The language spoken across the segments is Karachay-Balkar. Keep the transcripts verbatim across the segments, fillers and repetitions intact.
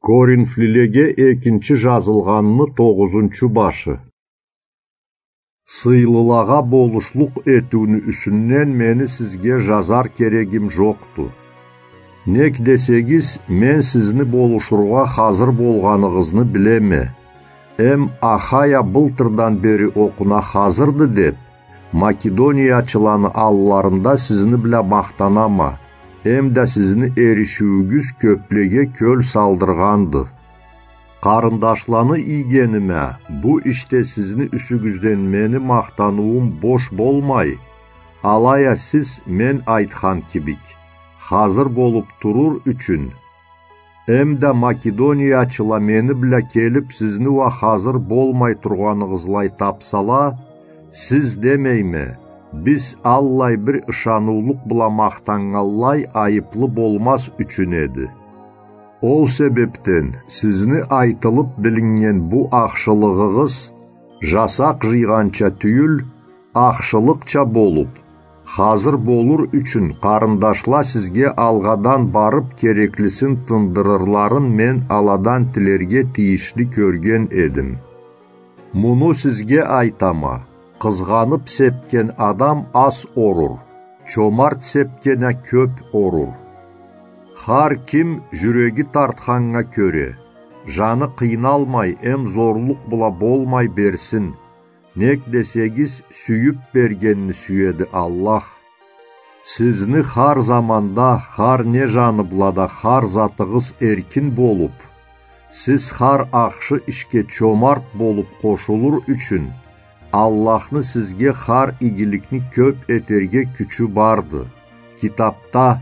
Коринфлилеге экинчи жазылгъанны тогъузунчу башы. Сыйлылагъа болушлукъ этиуню юсюнден мени сизге жазар керегим жокъду. Нек десегиз, мен сизни болушургъа хазыр болгъаныгъызны билеме. Эм Ахая былтырдан бери окъуна хазырды деп, Македониячыланы алларында сизни бла махтанама, эм да сизни эришиуюгюз кёплеге кёл салдыргъанды. Къарындашланы ийгениме, бу ишде сизни юсюгюзден мени махтаныуум бош болмай, алай а сиз, мен айтхан кибик, хазыр болуп турур ючюн, эм да Македониячыла мени бла келип, сизни уа хазыр болмай тургъаныгъызлай тапсала, сиз, демейме, биз аллай бир ышаныулукъ бла махтаннганлай, айыплы болмаз ючюн эди. Ол себепден сизни айтылып билиннген бу ахшылыгъыгъыз жасакъ жыйгъанча тюйюл, ахшылыкъча болуп, хазыр болур ючюн, къарындашла сизге алгъадан барып кереклисин тындырырларын мен аладан тилерге тийишли кёрген эдим. Муну сизге айтама: къызгъанып сепген адам аз орур, чомарт сепген а кёп орур. Хар ким жюреги тартханнга кёре, жаны къыйналмай эм зорлукъ бла болмай берсин, нек десегиз, сюйюп бергенни сюеди Аллах. Сизни хар заманда, хар не жаны бла да хар затыгъыз эркин болуп, сиз хар ахшы ишге чомарт болуп къошулур ючюн, Аллахны сизге хар игиликни кёп этерге кючю барды. Китапда: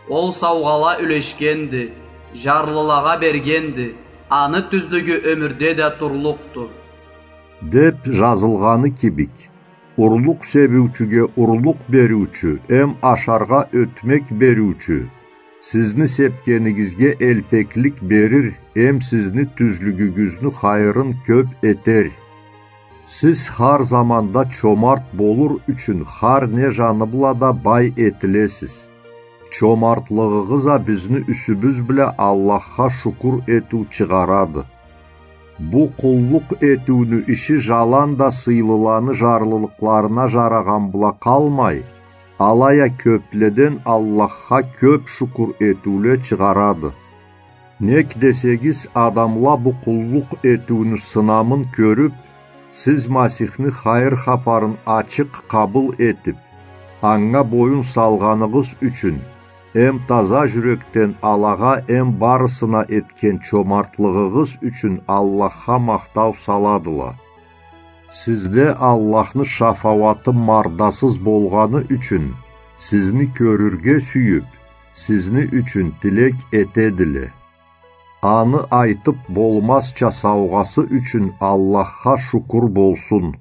«Ол саугъала юлешгенди, жарлылагъа бергенди, аны тюзлюгю ёмюрде да турлукъду» деп жазылгъаны кибик, урлукъ себиучюге урлукъ бериучю эм ашаргъа ётмек бериучю сизни сепгенигизге элпеклик берир эм сизни тюзлюгюгюзню хайырын кёп этер. Сиз хар заманда чомарт болур ючюн хар не жаны бла да бай этилесиз. Чомартлыгъыгъыз а бизни юсюбюз бла Аллахха шукур этиу чыгъарады. Бу къуллукъ этиуню иши жаланда сыйлыланы жарлылыкъларына жарагъан бла къалмай, алай а кёпледен Аллахха кёп шукур этиуле чыгъарады. Нек десегиз, адамла бу къуллукъ этиуню сынамын кёрюп, сиз Масихни хайыр хапарын ачыкъ къабыл этип, анга боюн салгъаныгъыз ючюн, эм таза жюрекден алагъа эм барысына этген чомартлыгъыгъыз ючюн Аллахха махтау саладыла. Сизде Аллахны шафауаты мардасыз болгъаны ючюн, сизни кёрюрге сюйюп, сизни ючюн тилек этедиле. Аны айтып болмазча саугъасы ючюн Аллахха шукур болсун.